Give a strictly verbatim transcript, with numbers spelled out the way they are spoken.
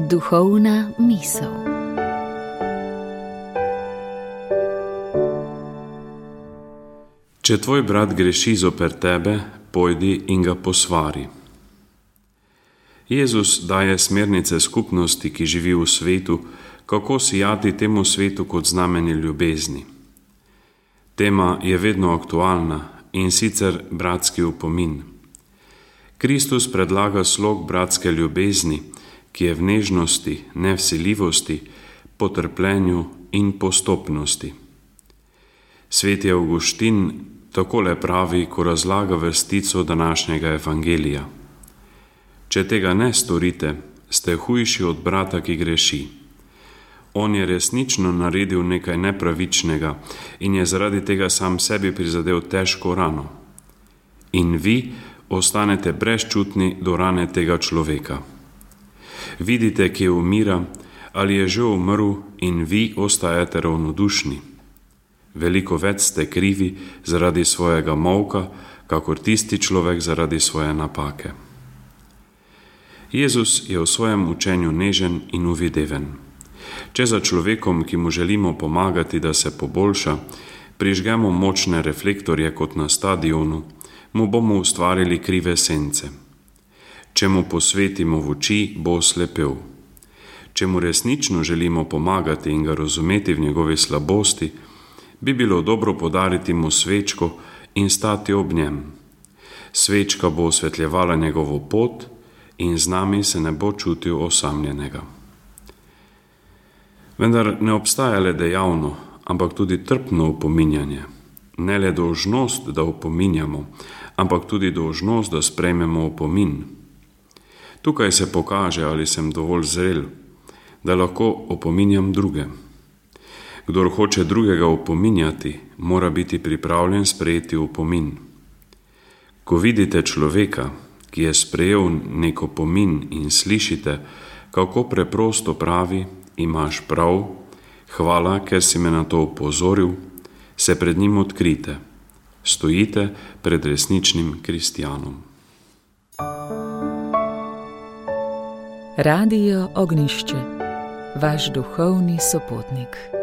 Duhovna misel. Če tvoj brat greši zoper tebe, pojdi in ga posvari. Jezus daje smernice skupnosti, ki živi v svetu, kako sijati temu svetu kot znamenje ljubezni. Tema je vedno aktualna, in sicer bratski opomin. Kristus predlaga slog bratske ljubezni, ki je v nežnosti, nevsiljivosti, potrpljenju in postopnosti. Sveti Avguštin takole pravi, ko razlaga vrstico današnjega evangelija. Če tega ne storite, ste hujši od brata, ki greši. On je resnično naredil nekaj nepravičnega in je zaradi tega sam sebi prizadel težko rano. In vi ostanete brezčutni do rane tega človeka. Vidite, kje umira ali je že umrl, in vi ostajate ravnodušni. Veliko več ste krivi zaradi svojega molka, kakor tisti človek zaradi svoje napake. Jezus je v svojem učenju nežen in uvideven. Če za človekom, ki mu želimo pomagati, da se poboljša, prižgemo močne reflektorje kot na stadionu, mu bomo ustvarili krive sence. Če mu posvetimo v oči, bo oslepel. Če mu resnično želimo pomagati in ga razumeti v njegovi slabosti, bi bilo dobro podariti mu svečko in stati ob njem. Svečka bo osvetljevala njegovo pot in z nami se ne bo čutil osamljenega. Vendar ne obstaja le dejavno, ampak tudi trpno opominjanje. Ne le dolžnost, da opominjamo, ampak tudi dolžnost, da sprejmemo opomin. Tukaj se pokaže, ali sem dovolj zrel, da lahko opominjam druge. Kdor hoče drugega opominjati, mora biti pripravljen sprejeti opomin. Ko vidite človeka, ki je sprejel nek opomin in slišite, kako preprosto pravi, imaš prav, hvala, ker si me na to opozoril, se pred njim odkrite. Stojite pred resničnim kristjanom. Radio Ognjišče, vaš duhovni sopotnik.